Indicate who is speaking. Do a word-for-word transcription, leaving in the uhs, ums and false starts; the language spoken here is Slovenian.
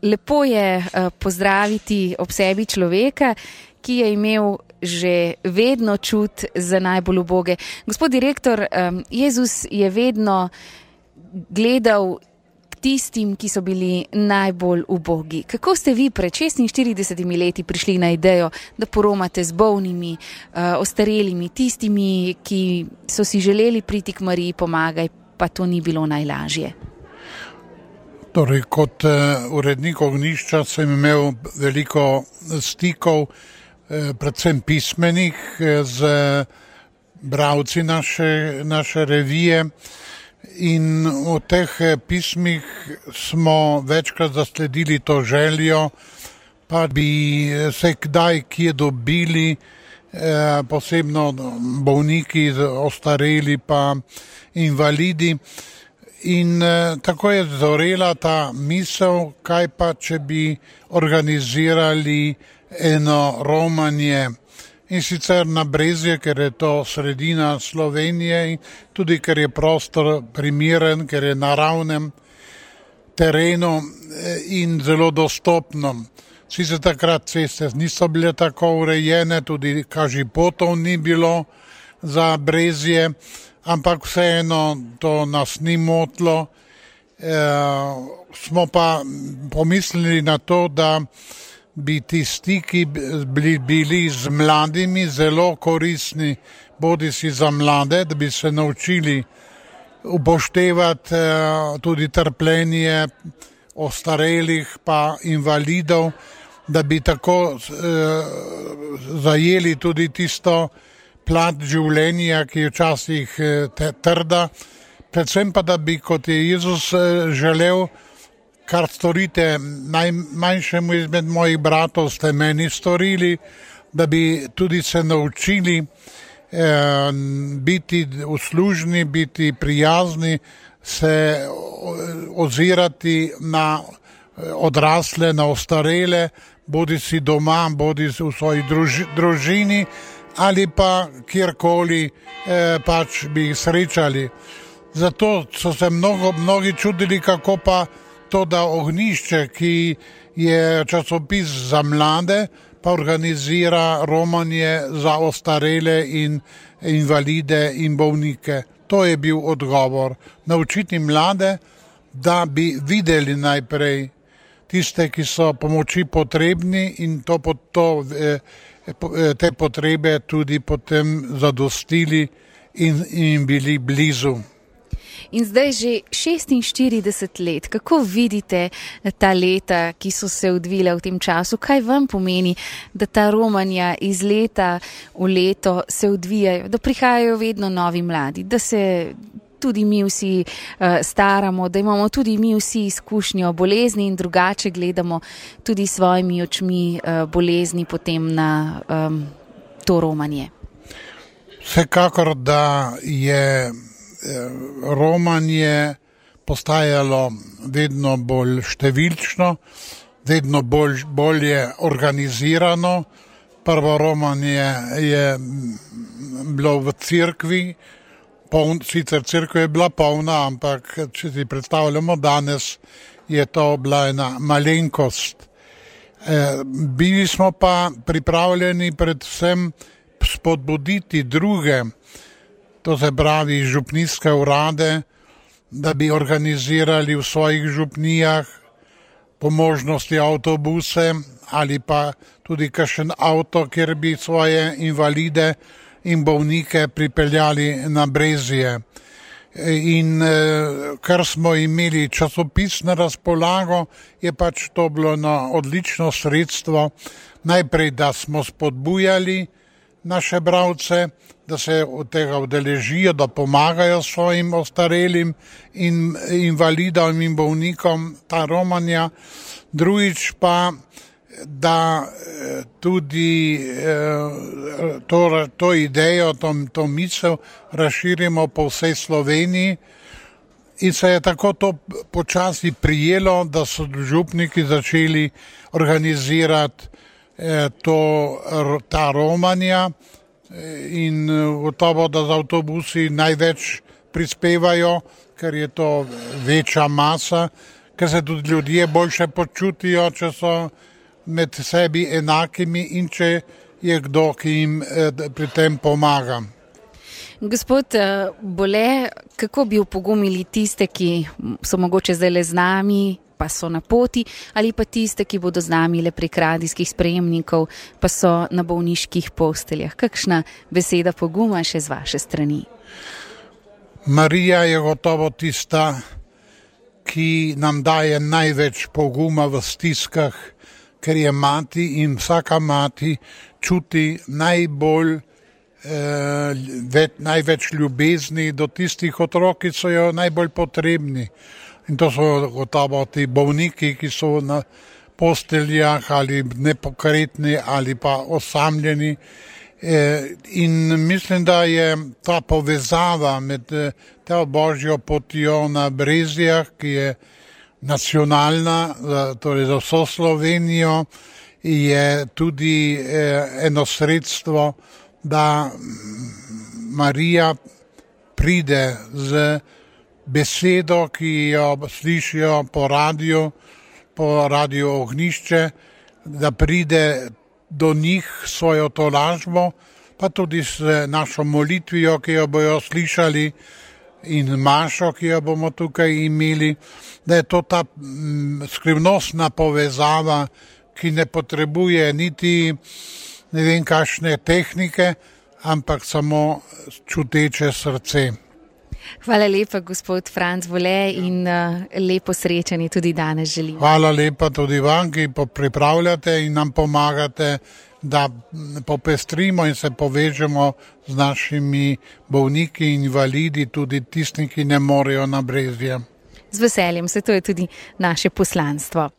Speaker 1: lepo je pozdraviti ob sebi človeka, ki je imel že vedno čut za najbolj uboge. Gospod direktor, Jezus je vedno gledal k tistim, ki so bili najbolj ubogi. Kako ste vi pred šestinštiridesetimi leti prišli na idejo, da poromate z bolnimi, ostarelimi, tistimi, ki so si želeli priti k Mariji pomagaj, pa to ni bilo najlažje?
Speaker 2: Torej, kot urednik ognjišča sem imel veliko stikov, predvsem pismenih, z bralci naše, naše revije, in v teh pismih smo večkrat zasledili to željo, pa bi se kdaj kje dobili, posebno bolniki, ostareli pa invalidi. In eh, tako je zorela ta misel, kaj pa, če bi organizirali eno romanje. In sicer na Brezje, ker je to sredina Slovenije, in tudi ker je prostor primeren, ker je na ravnem terenu in zelo dostopno. Sicer takrat ceste niso bile tako urejene, tudi kažipotov ni bilo za Brezje, ampak vseeno to nas ni motilo. E, smo pa pomislili na to, da bi ti stiki bili, bili z mladimi zelo koristni, bodisi za mlade, da bi se naučili upoštevati e, tudi trpljenje ostarelih pa invalidov, da bi tako e, zajeli tudi tisto plat življenja, ki je včasih trda, predvsem pa, da bi, kot je Jezus želel, kar storite najmanjšemu izmed mojih bratov, ste meni storili, da bi tudi se naučili eh, biti uslužni, biti prijazni, se ozirati na odrasle, na ostarele, bodi si doma, bodi si v svoji druži, družini, ali pa kjerkoli eh, pač bi jih srečali. Zato so se mnogo, mnogi čudili, kako pa to, da ognjišče, ki je časopis za mlade, pa organizira romanje za ostarele in invalide in bolnike. To je bil odgovor. Naučiti mlade, da bi videli najprej tiste, ki so pomoči potrebni, in to, to eh, te potrebe tudi potem zadostili in, in bili blizu.
Speaker 1: In zdaj že šestinštirideset let, kako vidite ta leta, ki so se odvila v tem času? Kaj vam pomeni, da ta romanja iz leta v leto se odvijajo, da prihajajo vedno novi mladi, da se tudi mi vsi uh, staramo, da imamo tudi mi vsi izkušnjo bolezni in drugače gledamo tudi svojimi očmi uh, bolezni potem na um, to romanje?
Speaker 2: Vsekakor, da je romanje postajalo vedno bolj številčno, vedno bolj, bolje organizirano. Prvo romanje je bilo v cerkvi, Poln, sicer cerkev je bila polna, ampak če si predstavljamo danes, je to bila ena malenkost. E, bili smo pa pripravljeni predvsem spodbuditi druge, to se pravi župnijske urade, da bi organizirali v svojih župnijah po možnosti avtobuse ali pa tudi kakšen avto, kjer bi svoje invalide in bolnike pripeljali na Brezje. In ker smo imeli časopis na razpolago, je pač to bilo na odlično sredstvo. Najprej, da smo spodbujali naše bralce, da se od tega udeležijo, da pomagajo svojim ostarelim in invalidom in bolnikom ta romanja. Drugič pa, da tudi to, to idejo, to, to misel razširimo po vsej Sloveniji. In se je tako to počasi prijelo, da so župniki začeli organizirati to, ta romanja, in gotovo, da z avtobusi največ prispevajo, ker je to večja masa, ker se tudi ljudje boljše počutijo, če so med sebi enakimi in če je kdo, ki jim pri tem pomaga.
Speaker 1: Gospod Bole, kako bi opogumili tiste, ki so mogoče zdaj le z nami, pa so na poti, ali pa tiste, ki bodo z nami le prek radijskih sprejemnikov, pa so na bolniških posteljah? Kakšna beseda poguma še z vaše strani?
Speaker 2: Marija je gotovo tista, ki nam daje največ poguma v stiskah, ker je mati in vsaka mati čuti najbolj Eh, več, največ ljubezni do tistih otrok, ki so jo najbolj potrebni. In to so gotovo ti bolniki, ki so na posteljah ali nepokretni ali pa osamljeni. Eh, in mislim, da je ta povezava med to božjo potjo na Brezjah, ki je nacionalna, torej za vso Slovenijo, je tudi eh, eno sredstvo, da Marija pride z besedo, ki jo slišijo po radiju, po radiju Ognjišče, da pride do njih svojo tolažbo, pa tudi s našo molitvijo, ki jo bojo slišali, in mašo, ki jo bomo tukaj imeli, da je to ta skrivnostna povezava, ki ne potrebuje niti ne vem kakšne tehnike, ampak samo čuteče srce.
Speaker 1: Hvala lepa, gospod Franc Bole, in uh, lepo srečanje tudi danes želim.
Speaker 2: Hvala lepa tudi vam, ki pripravljate in nam pomagate, da popestrimo in se povežemo z našimi bolniki in invalidi, tudi tisti, ki ne morejo na Brezje.
Speaker 1: Z veseljem, se to je tudi naše poslanstvo.